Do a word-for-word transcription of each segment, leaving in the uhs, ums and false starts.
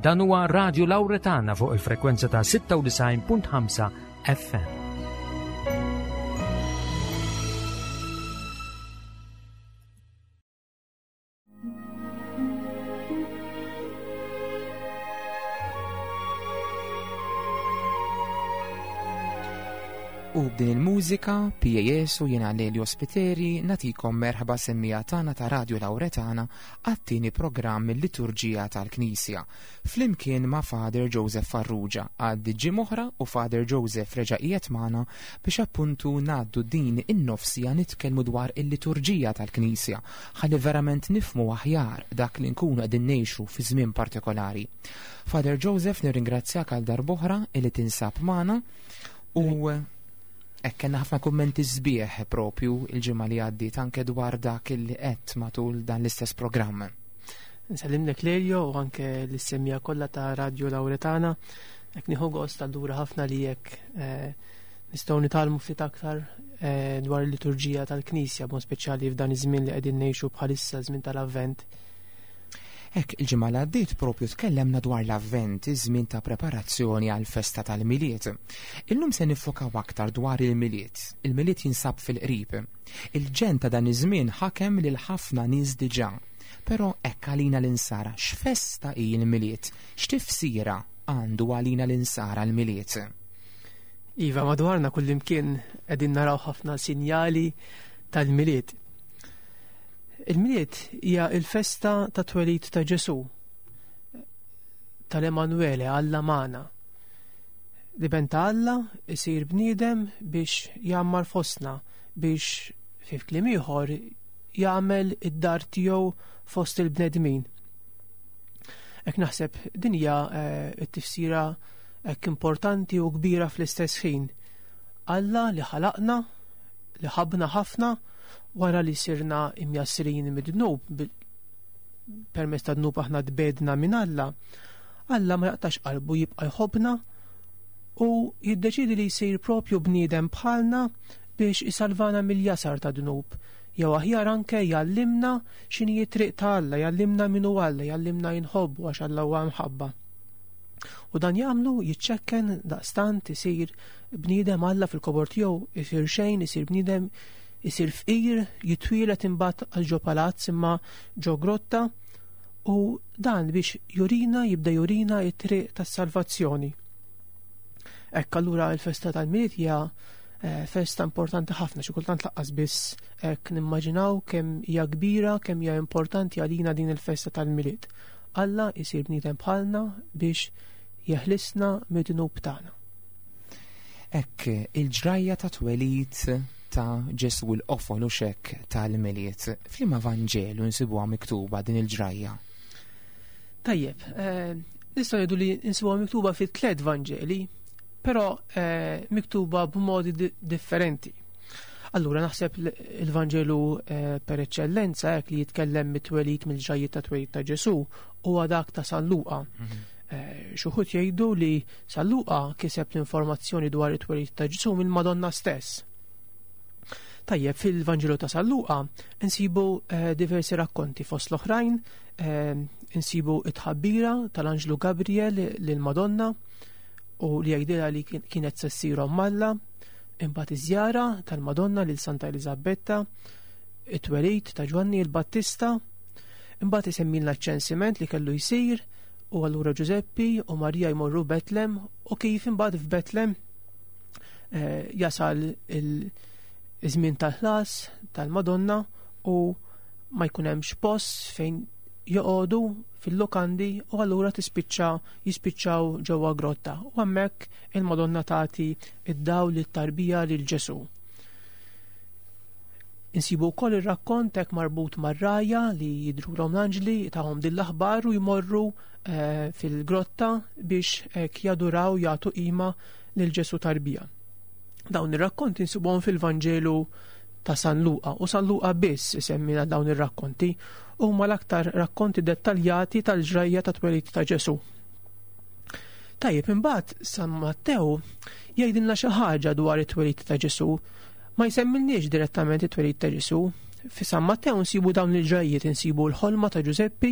Dan huwa Radio Lauretana fuq il-frekwenza ta' sitta u disgħin punt ħamsa F M. U b'din il-mużika, P A S u jiena Lelio Spiteri natikom merħba semmija tagħna ta' Radio Lauretana għat-tieni programm il-Liturġija tal-Knisja. Flimkien ma' Father Joseph Farrugia għaddi ġimgħa oħra u Father Joseph reġa' qiegħed magħna biex appuntu ngħaddu din in-nofsija nitkellmu dwar il-Liturġija tal-Knisja ħalli verament nifhmu aħjar dak li nkunu qegħdin ngħixu fi żmien partikolari. Father Joseph, nirringrazzjak għal darb'oħra illi tinsab magħna u hekk kellna ħafna kummenti sbieħ propju il-ġimgħa li għaddiet anke dwar dak li qed matul dan l-istess programm. Nsellimlek Lelio u anke l-semmija kollha ta' Radio Lauretana. Hekk nieħu gost allura ħafna li hekk, eh, nistgħu nitgħallmu ftit aktar, eh, dwar il-liturġija tal-Knisja, b'mod speċjali f'dan iż-żmien li qegħdin ngħixu bħalissa, żmien tal-Avvent. Hekk il-ġimgħa li għaddiet propju tkellemna dwar l-Avvent, iż-żmien ta' preparazzjoni għall-festa tal-Milied. Illum se nifokaw aktar dwar il-Milied. Il-Milied jinsab fil-qrib. Il-ġen ta' dan iż-żmien ħakem lil ħafna nies diġà. Però hekk għalina l-insara, x'festa hi l-Milied? X'tifsira għandu għalina l-insara l-Milied? Iva, madwarna kullimkien qegħdin naraw ħafna sinjali tal-Milied. Il-Milied hija l-festa ta' twelid ta' Ġesù, tal-Emanuele, Alla magħna. L-Iben ta' Alla isir bniedem biex jgħammar fostna, biex fi kliem ieħor jagħmel id-dar tiegħu fost il-bnedmin. Hekk naħseb din hija, eh, t-tifsira hekk importanti u kbira fl-istess ħin. Alla li ħalaqna, li ħabna ħafna, wara li sirna imjassrin mid-dnub, bil-, permezz ta' dnub aħna tbedna minn Alla, Alla ma jaqtax qalbu, jibqa' jħobbna u jiddeċidi li jsir propju bniedem bħalna biex isalvana mill-jasar ta' dnub. Jew aħjar anke jgħallimna x'inhi t-triq ta' Alla, jgħallimna min hu Alla, jgħallimna jinħobbu għax Alla huwa mħabba. U dan jagħmlu jiċċekken daqstant isir bniedem Alla fil-kobor tiegħu, isir xejn, isir bniedem, isir fqir, jitwielet imbagħad għal ġo palazz imma ġo grotta, u dan biex jurina, jibda jurina t-triq tas-salvazzjoni. Hekk allura l-festa tal-Milied hija, eh, festa importanti ħafna, xi kultant laqqas biss hekk nimmaġinaw kemm hija kbira, kemm hija importanti għalina din il-festa tal-Milied. Alla jsir bniedem bħalna biex jeħlisna mid-dnub tagħna. Hekk il-ġrajja ta' twelid ta' Ġesù l-qofol u xekk tal-Milied. F'liema Vanġelu nsibuha miktuba din il-ġrajja? Tajjeb, eh, nistgħu ngħidu li nsibuha miktuba fi tliet Vanġeli, però, eh, miktuba b'modi di-, differenti. Allura naħseb l-, il-Vanġelu, eh, per eċċellenza hekk li jitkellem mit-twelid, mill-ġrajjiet ta' twelid ta' Ġesù huwa dak ta' San Luqa. Mhm. Eh, xi wħud jgħidu li San Luqa kiseb l-informazzjoni dwar it-twelid ta' Ġesù mill-Madonna stess. Tajjeb, fil-Vanġelu ta' San Luqa insibu, eh, diversi rakkonti, fost l-oħrajn, eh, insibu it-tħabbira tal-Anġlu Gabriel lil Madonna u li jgħidilha li kien-, kienet se ssir omm Alla, imbagħad iż-żjara tal-Madonna lil Santa Eliżabetta, it-twelid ta' Ġwanni l-Battista, imbagħad isemmilna ċ-ċensiment li kellu jsir u allura Ġużeppi u Marija jmorru Betlem u kif imbagħad f'Betlem, eh, jasal il- iż-żmien tal-ħlas tal-Madonna u ma jkun hemmx post fejn joqogħdu fil-lokandi u allura tispiċċa, jispiċċaw ġewwa grotta u hemmhekk il-Madonna tagħti id-dawl lit-tarbija lil Ġesù. Insibu wkoll ir-rakkont hekk marbut mar-rajja li jidhrulhom l-anġli tagħhom din l-aħbar u jmorru, eh, fil-grotta biex hekk jaduraw, jagħtu qima lil Ġesù tarbija. Dawn ir-rakkonti nsibuhom fil-Vanġelu ta' San Luqa u San Luqa biss isemmina dawn ir-rakkonti, huma l-aktar rakkonti dettaljati tal-ġrajja ta' twelid ta' Ġesù. Tajjeb, imbagħad San Mattew jgħidilna xi ħaġa dwar it-twelid ta' Ġesù. Ma jsemmilniex direttament it-twelid ta' Ġesù, Fi San Mattew nsibu dawn il-ġrajjiet, insibu l-ħolma ta' Ġużeppi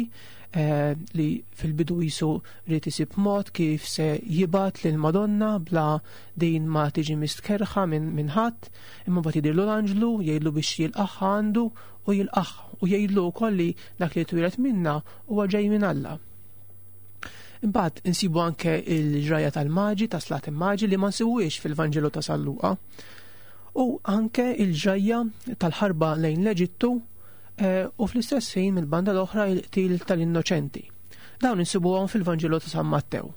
eh, li fil-bidu jisu ried isib mod kif se jibgħat lil Madonna bla din ma tiġi mistkerħa minn min ħadd, imma mbagħad jidhirlu l-anġlu jgħidlu biex jilqagħha għandu u jilqagħha u jgħidlu wkoll li dak li twieled minna huwa ġej minn Alla. Imbagħad insibu anke il-ġrajja tal-maġi, ta' Slat il-Maġi li ma nsibuhiex fil-Vanġelu ta' San Luqa. U anke il-ġrajja tal-ħarba lejn l-Eġittu eh, u fl-istess ħin mill-banda l-oħra il-qtil tal-innoċenti. Dawn insibuhom fil-Vanġelu ta' San Mattew.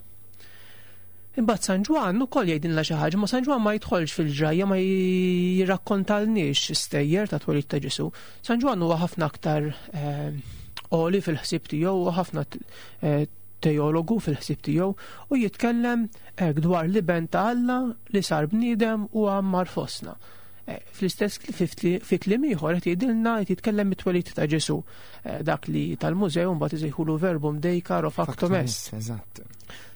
Imbagħad San Ġwann ukoll jgħidilna xi ħaġa, ma San Ġwann ma jidħolx fil-ġrajja, ma jirrakkontalniex stejjer ta' twelid ta' Ġesu. San Ġwann huwa ħafna aktar eh, għoli fil-ħsieb tiegħu, huwa ħafna eh, teologu fil-ħsieb tiegħu u jitkellem hekk dwar l-iben ta' Alla li sar bniedem u għammar fostna. Eh, Fl-istess fi fi kliem ieħor qed jgħidilna qed jitkellem mit-twelid ta' Ġesu, Eh, dak li tal-mużew mbagħad isejħulu verbum Dei caro factum est. Eżatt.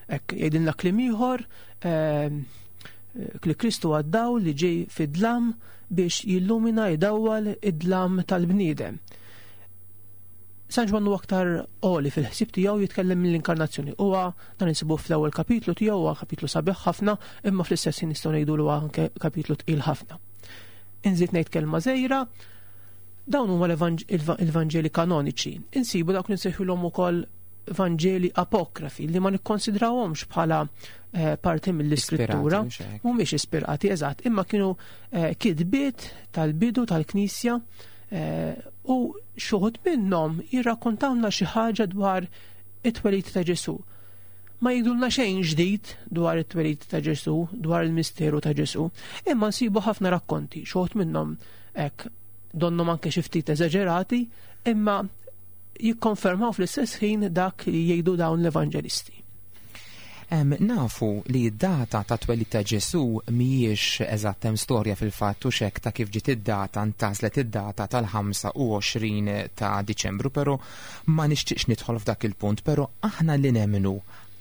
Hekk jgħidilna kliem ieħor eh, li Kristu għaddaw li ġej fid-dlam biex jillumina jdawwal id-dlam tal-bniedem. San Ġwann huwa aktar għoli fil-ħsieb tiegħu jitkellem mill-inkarnazzjoni. Huwa dan insibu fl-ewwel kapitlu tiegħu huwa kapitlu sabiħ ħafna, imma fl-istess ħin nistgħu ngħidu huwa anke kapitlu tqil ħafna. Inżid ngħid kelma żgħira, dawn huma l-Evanġeli kanoniċi. Insibu dawk li nsejħulhom ukoll Vanġeli apokrafi li ma nikkonsidrawhomx bħala eh, parti mill-iskrittura. Ispirati, mhux hekk? Mhumiex ispirati, eżatt, imma kienu eh, kitbiet tal-bidu tal-Knisja eh, u xi wħud minnhom jirrakkontawna xi ħaġa dwar it-twelid ta' Ġesu. Ma jgħidulna xejn ġdid dwar it-twelid ta' Ġesu, dwar il-misteru ta' Ġesu, imma nsibu ħafna rakkonti, xi wħud minnhom hekk donnhom anke xi ftit eżaġerati, imma jikkonfermaw fl-istess ħin dak li jgħidu dawn l-evanġelisti. Em, nafu li d-data ta' twelid ta' Ġesu mhijiex eżatt, hemm storja fil-fatt u xek ta' kif ġiet id-data, ntgħażlet id-data tal-ħamsa u għoxrin ta' Diċembru, però ma nixtieqx nidħol f'dak il-punt, però aħna li nemmnu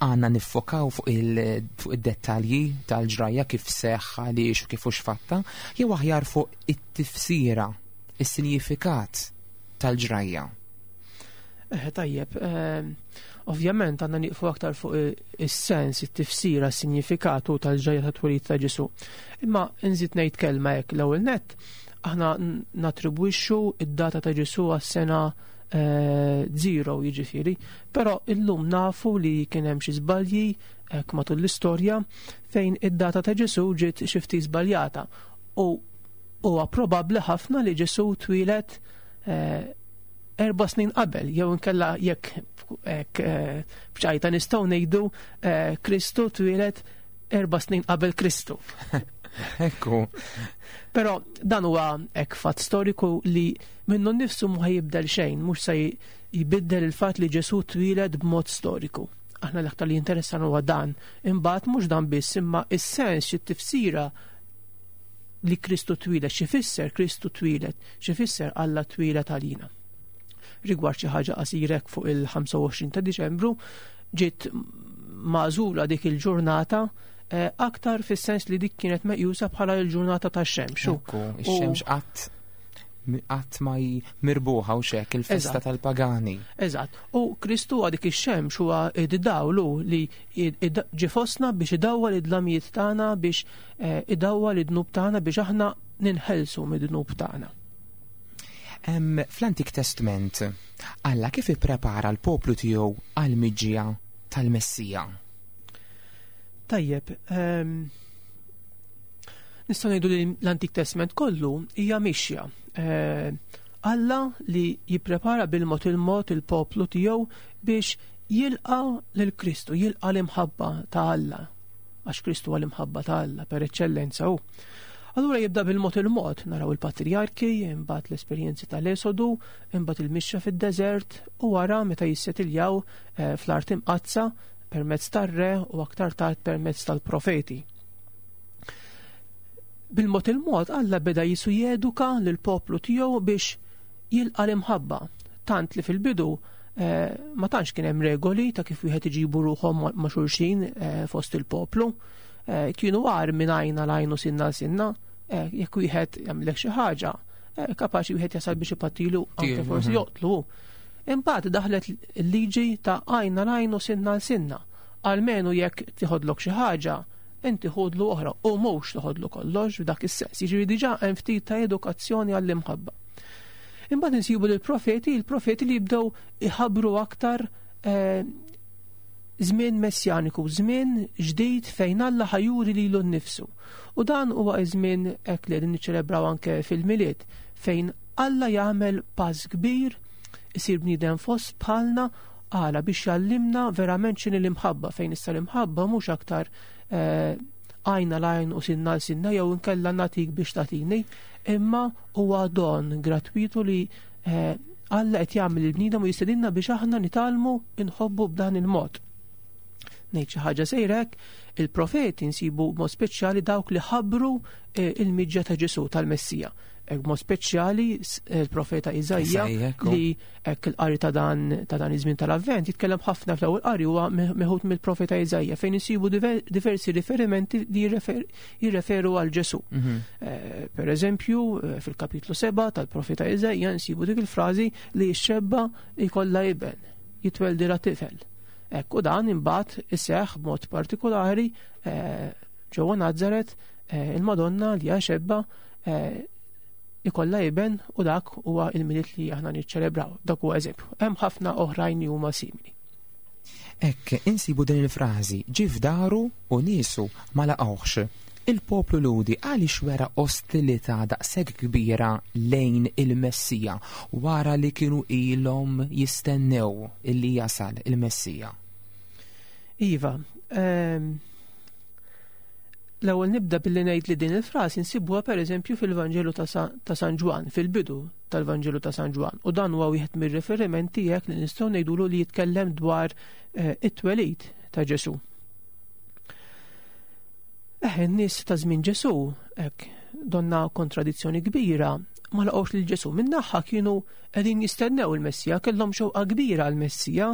għandna niffokaw fuq il- fuq id-dettalji tal-ġrajja kif seħħ, għaliex u kif hux fatta, jew aħjar fuq it-tifsira, is-sinjifikat tal-ġrajja. Eh, tajjeb, eh, ovvjament għandna nieqfu aktar fuq i- is-sens, it-tifsira, s-sinjifikatu tal-ġrajja ta' twelid ta' Ġesu. Imma nżid ngħid kelma hekk l-ewwel nett, aħna n- natribwixxu id-data ta' Ġesu għas-sena eh, zero jiġifieri, però illum nafu li kien hemm xi żbalji hekk matul l-istorja fejn id-data ta' Ġesu ġiet xi ftit żbaljata u huwa probabbli ħafna li Ġesu twieled eh, erba' snin qabel, jew inkella jekk hekk eh, b'ċajta nistgħu ngħidu eh, Kristu twieled erba' snin qabel Kristu. Ekku. Però dan huwa hekk fatt storiku li minnu nnifsu ma jibdel xejn, mhux se jbiddel il-fatt li Ġesu twieled b'mod storiku. Aħna l-aktar li jinteressan huwa dan. Imbagħad mhux dan biss, imma is-sens, xi tifsira li Kristu twieled, xi fisser Kristu twieled, xi fisser Alla twieled għalina. Rigward xi ħaġa qasirek fuq il-ħamsa u għoxrin ta' Diċembru, ġiet magħżula dik il-ġurnata eh, aktar fis-sens li dik kienet meqjusa bħala l-ġurnata tax-xemx. Ekku, ix-xemx qatt qatt ma mirbuħa u xek, il-festa Eżatt. tal-pagani. Eżatt. U Kristu huwa dik ix-xemx, huwa id-dawlu li id- ġie fostna biex idawwal id-dlamijiet tagħna, biex eh, idawwal id-dnub tagħna biex aħna ninħelsu mid-dnub tagħna. Em, Fl-Antik Testament, Alla kif ipprepara l-poplu tiegħu għal-miġja tal-Messija? Tajjeb, ehm, nistgħu ngħidu li l-Antik Testament kollu hija mixja. Eh, Alla li jipprepara bil-mod il-mod il-poplu tiegħu biex jilqa lil Kristu, jilqa l-imħabba ta' Alla. Għax Kristu huwa l-imħabba ta' Alla per eċċellenza hu. Allura jibda bil-mod il-mod, naraw il-patriarki, imbagħad l-esperjenzi tal-Esodu, imbagħad il-mixja fid-deżert u wara meta jissetiljaw eh, fl-art imqaddsa permezz tar-re u aktar tard permezz tal-profeti. Bil-mod il-mod Alla beda jisu jeduka lill-poplu tiegħu biex jilqa l-imħabba. Tant li fil-bidu eh, ma tantx kien hemm regoli ta' kif wieħed iġibu ruħhom ma' ma' xulxin eh, fost il-poplu. Eh, kienu għar minn għajna l-għajn u sinna l-sinna, eh, jekk wieħed jagħmlek xi ħaġa, kapaċi wieħed jasal biex ipattilu, anke forsi joqtlu. Imbagħad daħlet il-liġi ta' għajn għal għajn u sinna għal sinna. Almenu jekk tiħodlok xi ħaġa, inti ħodlu oħra u mhux toħodlu kollox f'dak is-sens. Jiġifieri diġà hemm ftit ta' edukazzjoni għall-imħabba. Imbagħad insibu lill-profeti, il-profeti li jibdew iħabbru aktar żmien messjaniku, żmien ġdid fejn Alla ħajuri lilu nnifsu. U dan huwa żmien hekk li qegħdin niċċelebraw anke fil-Milied, fejn Alla jagħmel pass kbir, isir bniedem fost bħalna, għala biex jgħallimna verament x'inhi l-imħabba, fejn issa l-imħabba mhux aktar għajn għal għajn u sinna għal sinna jew inkella nagħtik biex tagħtini, imma huwa don gratwitu li Alla qed jagħmel il-bniedem u jistedinna biex aħna nitgħallmu nħobbu b'dan il-mod. Ngħid xi ħaġa sejrek, il-profeti nsibu mod speċjali dawk li ħabbru il-miġja ta' Ġesù tal-Messija. Hekk mod speċjali il-profeta Iżaija li hekk il-qari ta' dan ta' dan iż-żmien tal-Avvent jitkellem ħafna fl-ewwel qari huwa meħud mill-profeta Iżaija fejn insibu diversi riferimenti li jirreferu għal Ġesù. Per eżempju, fil-kapitlu seba' tal-profeta Iżaija nsibu dik il-frażi li x-xebba jkollha iben, jitweldilha tifel. Hekk u dan imbagħad iseħħ b'mod partikolari ġewwa Nazaret il-Madonna li hija xebba ikollha iben u dak huwa il-Milied li aħna niċċelebraw. Dak huwa eżempju. Hemm ħafna oħrajn li huma simili. Hekk insibu din il-frażi ġie f'daru u niesu ma laqgħuhx. Il-poplu Lhudi għaliex wera ostilità daqshekk kbira lejn il-Messija wara li kienu ilhom jistennew illi jasal il-Messija? Iva, ehm, l-ewwel nibda billi ngħid li din il-frasi nsibuha pereżempju fil-Vanġelu ta' San Ġwann, fil-bidu tal-Vanġelu ta' San Ġwann, u dan huwa wieħed mir-riferimenti hekk li nistgħu ngħidulu li jitkellem dwar it-twelid ta' Ġesù. Eh, in-nies ta' żmien Ġesù hekk donna kontradizzjoni kbira ma laqgħux lil Ġesù. Min-naħa kienu qegħdin jistennew il-Messija, kellhom xewqa kbira għall-Messija.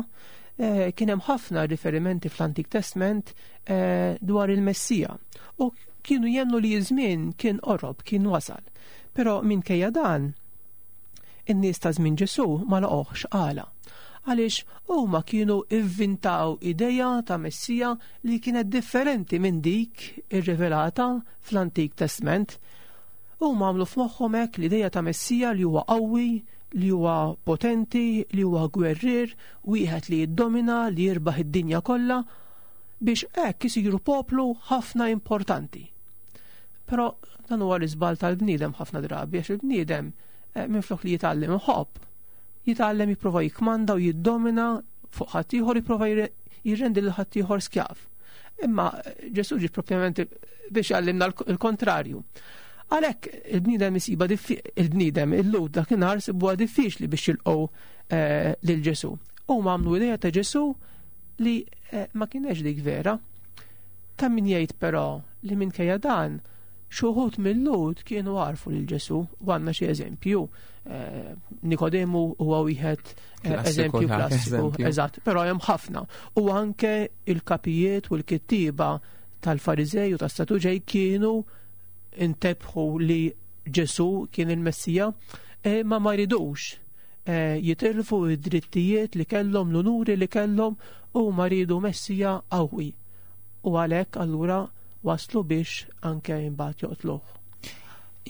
Kien hemm ħafna riferimenti fl-Antik Testament dwar il-Messija u kienu jemmnu li ż-żmien kien qorob, kien wasal. Però minkejja dan, in-nies ta' żmien Ġesù ma laqgħuhx. Għala? Għaliex huma kienu ivvintaw ideja ta' Messija li kienet differenti minn dik irrivelata fl-Antik Testament. Huma għamlu f'moħħhom hekk l-ideja ta' Messija li huwa qawwi, li huwa potenti, li huwa gwerrier, wieħed li jiddomina, li jirbaħ id-dinja kollha, biex hekk isiru poplu ħafna importanti. Però dan huwa l-iżball tal-bniedem ħafna drabi, għax il-bniedem minflok li jitgħallem iħobb, jitgħallem jipprova jikmanda u jiddomina fuq ħaddieħor, jipprova jirrendi lil ħaddieħor skjav. Imma Ġesù ġie propjament biex jgħallimna l-kontrarju. Għalhekk il-bniedem isiba il-bniedem il-Lhud dakinhar sibuha diffiċli biex jilqgħu lil Ġesù. Huma għamlu idea ta' Ġesù li ma kienx dik vera. Ta' min jgħid però li minkejja dan xi wħud mill-Lhud kienu għarfu lil Ġesù, u għandna xi eżempju. Nikodemu huwa wieħed eżempju klassiku, eżatt, però hemm ħafna. U anke il-kapijiet u l-kittieba tal-Fariżej u tas-Saduċej kienu intebħu li Ġesù kien il-Messija, ma ma ridux jitilfu id-drittijiet li kellhom, l-unuri li kellhom, u ma ridu Messija qawwi. U għalhekk allura waslu biex anke imbagħad joqtluh.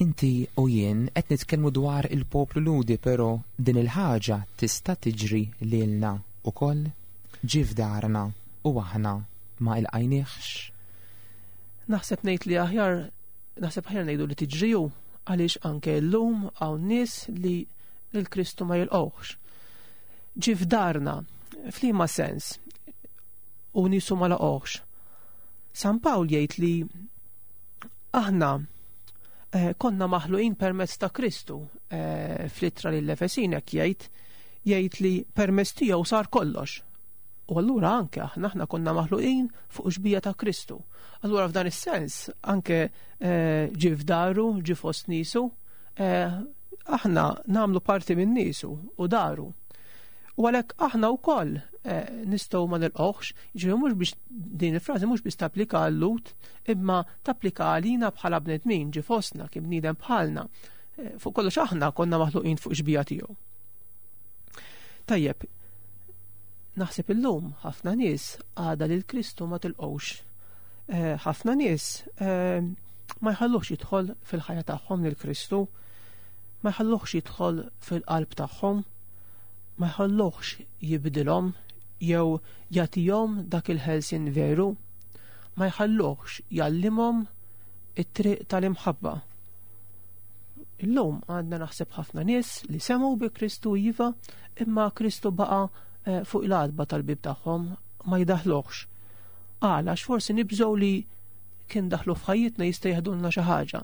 Inti u jien qed nitkellmu dwar il-poplu Lhudi, però din il-ħaġa tista' tiġri lilna ukoll, ġie f'darna u aħna ma ilqajniex. Naħseb ngħid li aħjar, naħseb aħjar ngħidu li tiġriju, għaliex anke llum hawn nies li lil Kristu ma jilqgħux. Ġie f'darna, f'liema sens, u niesu ma laqgħux. San Pawl jgħid li aħna konna maħluqin permezz ta' Kristu. Fl-ittra lill-Efesin hekk jgħid, jgħid li permezz tiegħu sar kollox. U allura anke aħna aħna konna maħluqin fuq xbija ta' Kristu. Allura f'dan is-sens anke ġie f'daru, ġie fost niesu, aħna nagħmlu parti minn niesu u daru. U għalhekk aħna wkoll nistgħu ma nilqgħux, jiġifieri mhux biex din il-frażi mhux biex tapplika għal-Lhud, imma tapplika għalina bħala bnedmin, ġie fostna kien bniedem bħalna. Fuq kollox aħna konna maħluqin fuq xbija tiegħu. Tajjeb, naħseb illum ħafna nies għadha lil Kristu ma tilqgħux. Ħafna nies ma jħalluhx jidħol fil-ħajja tagħhom lil Kristu, ma jħalluhx jidħol fil-qalb tagħhom, ma jħalluhx jibdilhom jew jagħtihom dak il-ħelsien veru, ma jħalluhx jgħallimhom it-triq tal-imħabba. Illum għandna naħseb ħafna nies li semgħu bi Kristu iva, imma Kristu baqa' fuq l-għatba tal-bib tagħhom, ma jdaħluhx. Għala, għax forsi nibżgħu li kien daħlu f'ħajjitna jista' jeħdulna xi ħaġa.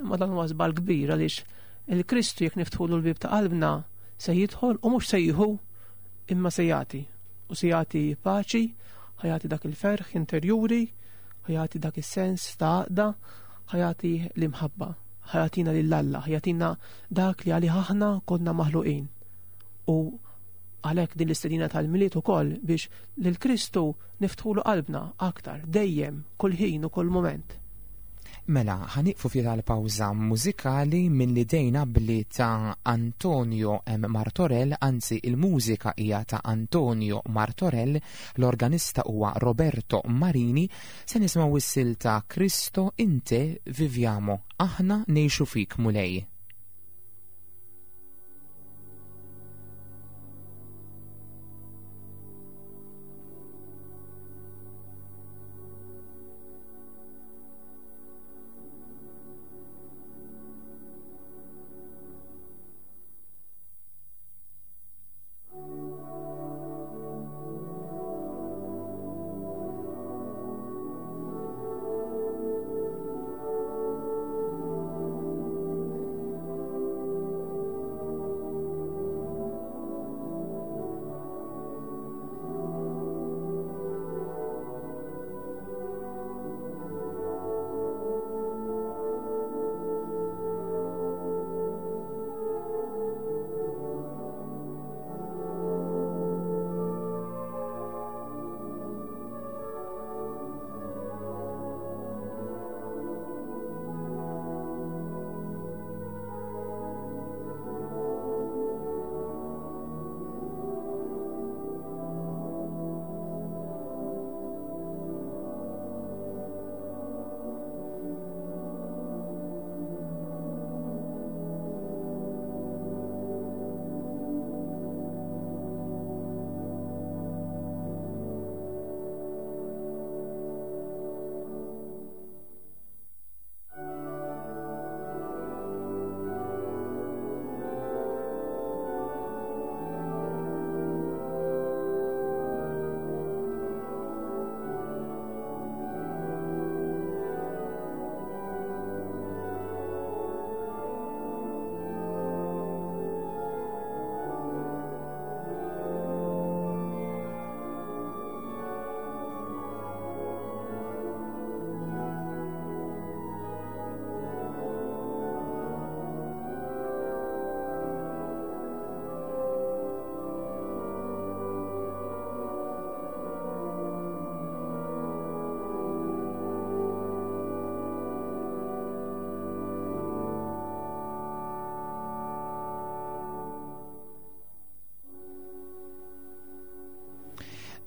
Imma dan huwa żball kbir għaliex il-Kristu jekk niftħulu l-bib ta' qalbna se jidħol u mhux se jieħu imma se jagħti. U se jagħti paċi, ħajati dak il-ferħ interjuri, ħajati dak is-sens ta' għaqda, ħajati l-imħabba, ħajatina lil Alla, ħajatina dak li għalih aħna konna maħluqin. U għalhekk din l-istedina tal-Milied ukoll biex lil Kristu niftħulu qalbna aktar, dejjem, kull ħin u kull mument. Mela, ħaniqfu ftit għal pawża mużikali minn li dejna bli ta' Antonio M. Martorell, anzi il-mużika hija ta' Antonio Martorell, l-organista huwa Roberto Marini, se nisimgħu is-silta Cristo in te viviamo, aħna ngħixu fik Mulej.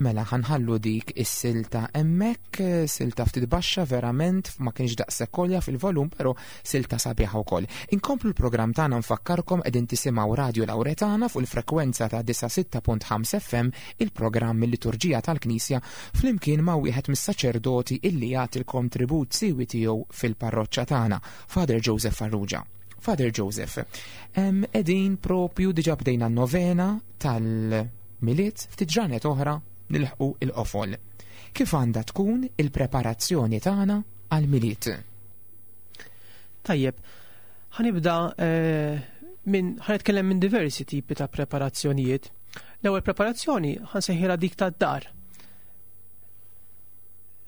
Mela ħanħallu dik is-silta hemmhekk, silta ftit baxxa verament, ma kienx daqshekk kolja fil-volum, però silta sabiħa wkoll. Inkomplu l-programm tagħna, nfakkarkom qegħdin tisimgħu Radio Lauretana fuq il-frekwenza ta' disgħa sitta punt ħamsa F M, il-programm il-Liturġija tal-Knisja, flimkien ma' wieħed mis-saċerdoti illi jagħti l-kontribut siwi tiegħu fil-parroċċa tagħna, Father Joseph Farrugia. Father Joseph, qegħdin propju diġà bdejna n-novena tal-Milied, ftit ġranet oħra nilħqu il-qofol. Kif għandha tkun il-preparazzjoni tagħna għall-Milied? Tajjeb, ħanibda eh, minn ħanitkellem minn diversi tipi ta' preparazzjonijiet. L-ewwel preparazzjoni ħansejħilha dik tad-dar.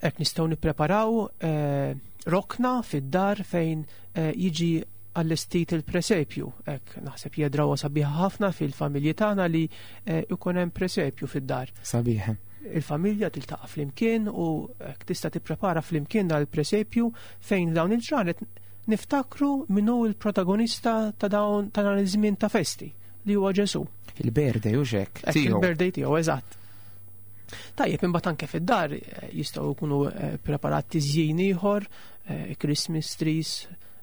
Hekk nistgħu nippreparaw eh, rokna fid-dar fejn eh, jiġi għall-estit il-presepju. Hekk naħseb jedraw sabiħa ħafna fil-familji tagħna li ikun hemm presepju fid-dar. Sabiħ. Il-familja tiltaqa' flimkien u hekk tista' tipprepara flimkien dal-presepju fejn dawn il-ġranet Niftakru min hu l-protagonista ta' dawn ta' dan iż-żmien ta' festi li huwa Ġesù. Il-birthday u xek. Il-birthday tiegħu, eżatt. Tajjeb, imbagħad anke fid-dar jistgħu jkunu preparati tiżjin ieħor, Christmas trees,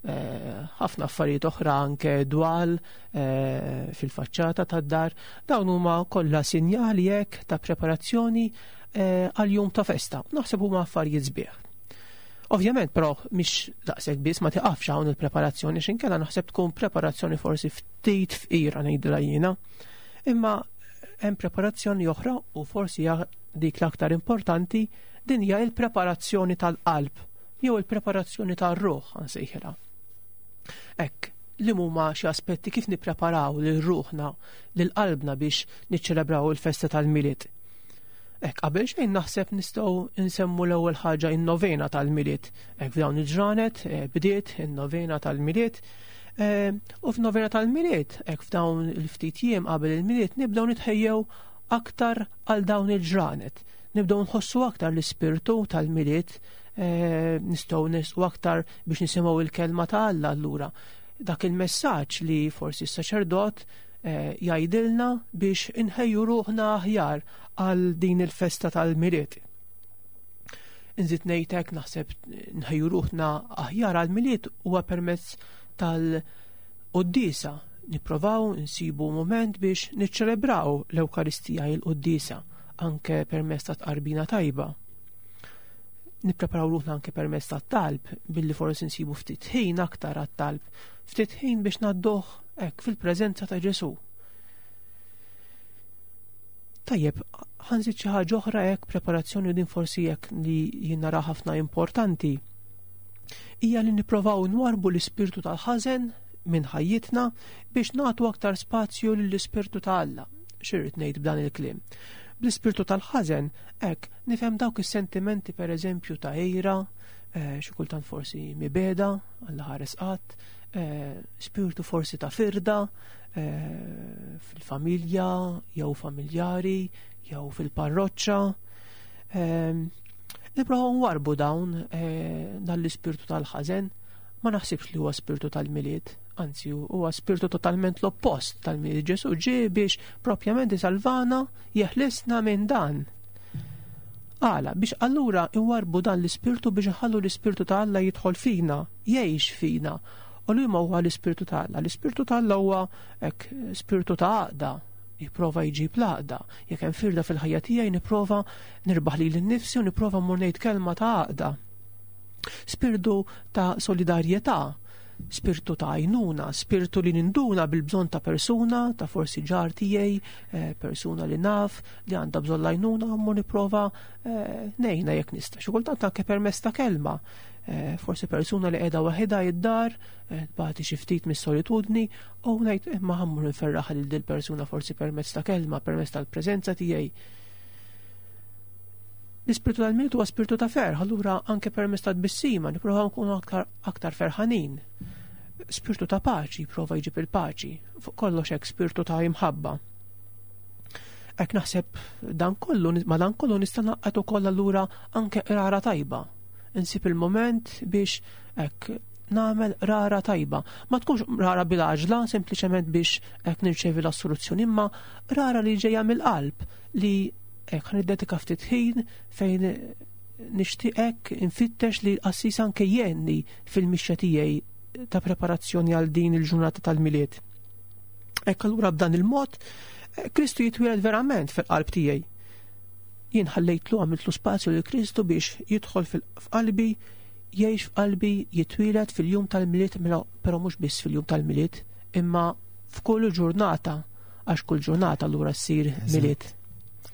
ħafna affarijiet oħra, anke dwal fil-faċċata tad-dar. Dawn huma kollha sinjali hekk ta' preparazzjoni għal jum ta' festa. Naħseb huma affarijiet sbieħ. Ovvjament, però mhix daqshekk biss, ma tiqafx hawn il-preparazzjoni, x'inkella naħseb tkun preparazzjoni forsi ftit fqira ngħidilha jiena. Imma hemm preparazzjoni oħra u forsi dik l-aktar importanti, din hija il-preparazzjoni tal-qalb jew il-preparazzjoni tar-ruħ nsejħilha. Hekk, li huma xi aspetti kif nippreparaw lil ruħna, lil qalbna biex niċċelebraw il-festa tal-Milied. Hekk, qabel xejn naħseb nistgħu nsemmu l-ewwel ħaġa in-novena tal-Milied. Hekk f'dawn il-ġranet bdiet in-novena tal-Milied. U f'novena tal-Milied, hekk f'dawn il-ftit jiem qabel il-Milied nibdew nitħejjew aktar għal dawn il-ġranet. Nibdew nħossu aktar l-ispirtu tal-Milied, nistgħu nisqu aktar biex nisimgħu il-kelma ta' Alla allura. Dak il-messaġġ li forsi s-saċerdot jgħidilna biex inħejju ruħna aħjar għal din il-festa tal-Milied. Inżid ngħidlek naħseb nħejju ruħna aħjar għal-Milied huwa permezz tal-Quddiesa. Nipprovaw nsibu moment biex niċċelebraw l-Ewkaristija, il-Quddiesa, anke permezz ta' tqarbina tajba. Nippreparaw ruħna anke permezz tat-talb, billi forsi nsibu ftit ħin aktar għat-talb, ftit ħin biex ngħadduh hekk fil-preżenza ta' Ġesù. Tajjeb, ħanżid xi ħaġa oħra hekk preparazzjoni din forsi hekk li jien nara ħafna importanti, hija li nipprovaw nwarbu l-ispirtu tal-ħażen minn ħajjitna biex nagħtu aktar spazju lill-ispirtu ta' Alla. X'irrid ngħid b'dan il-kliem? Bl-ispirtu tal-ħażen hekk nifhem dawk is-sentimenti pereżempju ta' għira, xi kultant forsi mibeda, Alla ħares qatt, spirtu forsi ta' firda fil-familja jew familjari jew fil-parroċċa. Nipprovaw nwarbu dawn dan l-ispirtu tal-ħażen. Ma naħsibx li huwa spirtu tal-Milied, anzi huwa spirtu totalment l-oppost tal-Milied. Ġesù ġie biex propjament isalvana, jeħlisna minn dan. Għala, biex allura nwarbu dan l-ispirtu biex nħallu l-ispirtu ta' Alla jidħol fina, jgħix fina. U li ma huwa l-ispirtu ta' Alla? L-ispirtu ta' Alla huwa hekk spirtu ta' għaqda, jipprova jġib l-għaqda. Jekk hemm firda fil-ħajja tiegħi nipprova nirbaħ lili nnifsi u nipprova mmur ngħid kelma ta' għaqda. Spirtu ta' solidarjetà, spirtu ta' għajnuna, spirtu li ninduna bil-bżonn ta' persuna, ta' forsi ġar tiegħi, persuna li naf li għandha bżonn l-għajnuna, mmur nipprova ngħinha jekk nista'. Xi kultant anke permezz ta' kelma. Forsi persuna li qiegħda waħedha id-dar, tbati xi ftit mis-solitudni, u ngħid imma ħammur nferraħ lil dil persuna forsi permezz ta' kelma, permezz tal-preżenza tiegħi. L-ispirtu tal-Milied huwa spirtu ta' ferħ, allura anke permezz ta' tbissima nipprovaw nkunu aktar, aktar ferħanin. Spirtu ta' paċi, jipprova jġib il-paċi, fuq kollox hekk spirtu ta' imħabba. Hekk naħseb dan kollu, ma dan kollu nista' naqgħod ukoll allura anke qrara tajba. Insib il-moment biex hekk nagħmel rara tajba. Ma tkunx rara bil-għaġla, sempliċement biex hekk nirċevi l-assoluzzjoni, imma rara li ġejja mill-qalb, li hekk niddedika ftit ħin fejn nixtieq hekk infittex li l-qassis anke jgħinni fil-mixja tiegħi ta' preparazzjoni għal din il-ġurnata tal-Milied. Hekk allura b'dan il-mod Kristu jitwieled verament fil-qalb tiegħi. Jien ħallejtlu, għamiltlu spazju lil Kristu biex jidħol f'qalbi, jgħix f'qalbi, jitwieled fil-jum tal-Milied, però mhux biss fil-jum tal-Milied, imma f'kull ġurnata, għax kull ġurnata allura ssir Milied.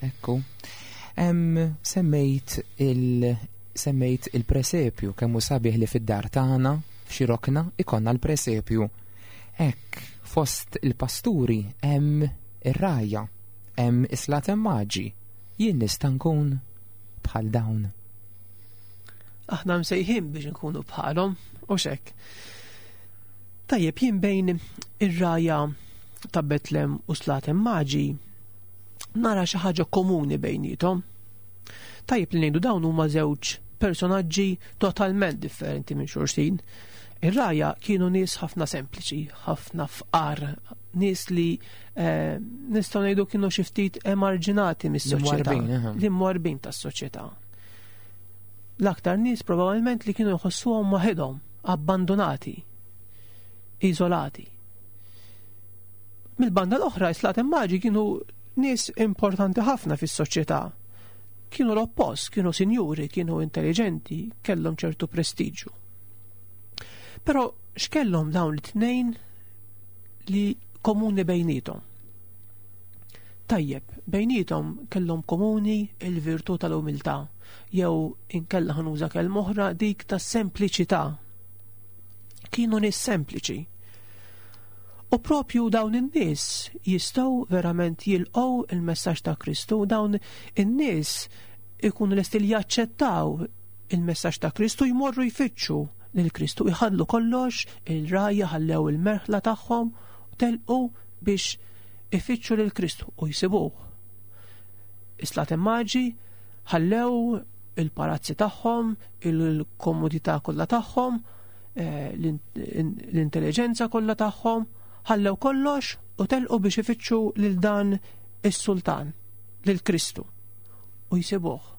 Ekku. Em, semmejt il, semmejt il-presepju, kemm hu sabiħ li fid-dar tagħna f'xi rokna ikonna l-presepju. Hekk fost il-pasturi hemm ir-rgħajja, hemm is-slaten maġi. Jien nista' nkun bħal dawn. Aħna msejħin biex nkunu bħalhom, u x'hekk. Tajjeb, jien bejn ir-rgħajja ta' Betlem u slaten maġi nara xi ħaġa komuni bejniethom. Tajjeb li ngħidu dawn huma żewġ personaġġi totalment differenti minn xulxin. Ir-rgħajja kienu nies ħafna sempliċi, ħafna fqar, nies li eh, nistgħu ngħidu kienu xi ftit emarġinati mis-soċjetà, L-imwarbin, li mwarbin tas-soċjetà. L-aktar nies probabbilment li kienu jħossuhom waħedhom, abbandonati, iżolati. Mill-banda l-oħra, is-Slaten Maġi kienu nies importanti ħafna fis-soċjetà. Kienu l-oppost, kienu sinjuri, kienu intelligenti, kellhom ċertu prestiġu. Però x'kellhom dawn it-tnejn li komuni bejnietom? Tajjeb, bejnietom kellhom komuni il-virtù tal-umiltà, jew inkella ħa nuża kelma oħra, dik tas-sempliċità. Kienu nies sempliċi. U propju dawn in-nies jistgħu verament jilqgħu il-messaġġ ta' Kristu, dawn in-nies ikunu lesti li jaċċettaw il-messaġġ ta' Kristu, jmorru jfittxu lil Kristu, jħallu kollox, ir-rgħajja ħallew il-merħla tagħhom u telqu biex ifittxu lil Kristu u jsibuh. Is-Slaten Maġi ħallew il-palazzi tagħhom, il-komodità kollha tagħhom, eh, l-intelligenza kollha tagħhom, ħallew kollox u telqu biex ifittxu lil dan is-sultan, lil Kristu, u jsibuh.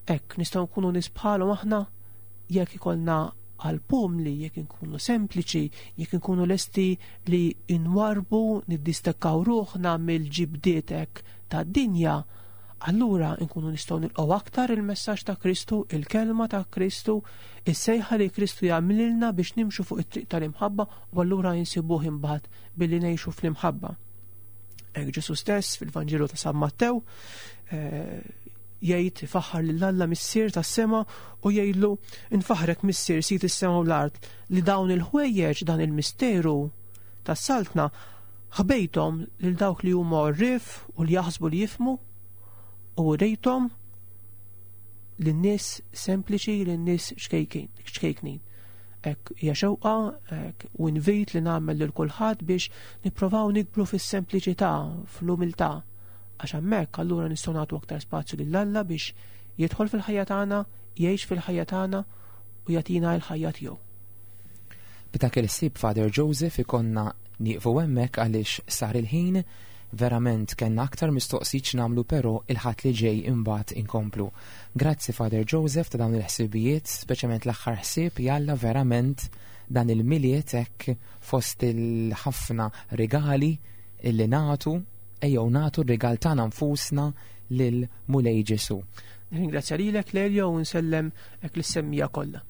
Hekk nistgħu nkunu nies bħalhom aħna jekk ikollna qalb umli, jekk inkunu sempliċi, jekk inkunu lesti li nwarrbu, niddistakkaw ruħna mill-ġibdietek tad-dinja, allura nkunu nistgħu nilqgħu aktar il-messaġġ ta' Kristu, il-kelma ta' Kristu, is-sejħa li Kristu jagħmlilna biex nimxu fuq it-triq tal-imħabba, u allura insibuh imbagħad billi ngħixu fl-imħabba. Hekk Ġesu stess fil-Vanġelu ta' San Mattew eh, jgħid, faħħar lil Alla Missier tas-sema u jgħidlu: "Infaħrek, Missier, Sid is-sema u l-art, li dawn il-ħwejjeġ, dan il-misteru tas-saltna, ħbejtom lil dawk li huma għorrief u li jaħsbu li jifhmu u urejtom lin-nies sempliċi, lin-nies ċkejknin." Hekk hija xewqa hekk u invit li nagħmel lil kulħadd biex nipprovaw nikbru fis-sempliċità, fl-umiltà, għax hemmhekk allura nistgħu nagħtu aktar spazju lil Alla biex jidħol fil-ħajja tagħna, jgħix fil-ħajja tagħna u jagħtina l-ħajja tiegħu. B'dak il-ħsieb, Father Joseph, ikollna nieqfu hemmhekk għaliex sar il-ħin. Verament kellna aktar mistoqsijiet nagħmlu, però il-Ħadd li ġej imbagħad inkomplu. Grazzi, Father Joseph, ta' dawn il-ħsibijiet, speċjalment l-aħħar ħsieb. Jalla verament dan il-Milied hekk, fost il-ħafna regali illi nagħtu, ejjew nagħtu r-rigal tagħna nfusna lil Mulej Ġesu. Ringrazzja lilek, Lelio, u nsellem hekk lis-semmiegħa kollha.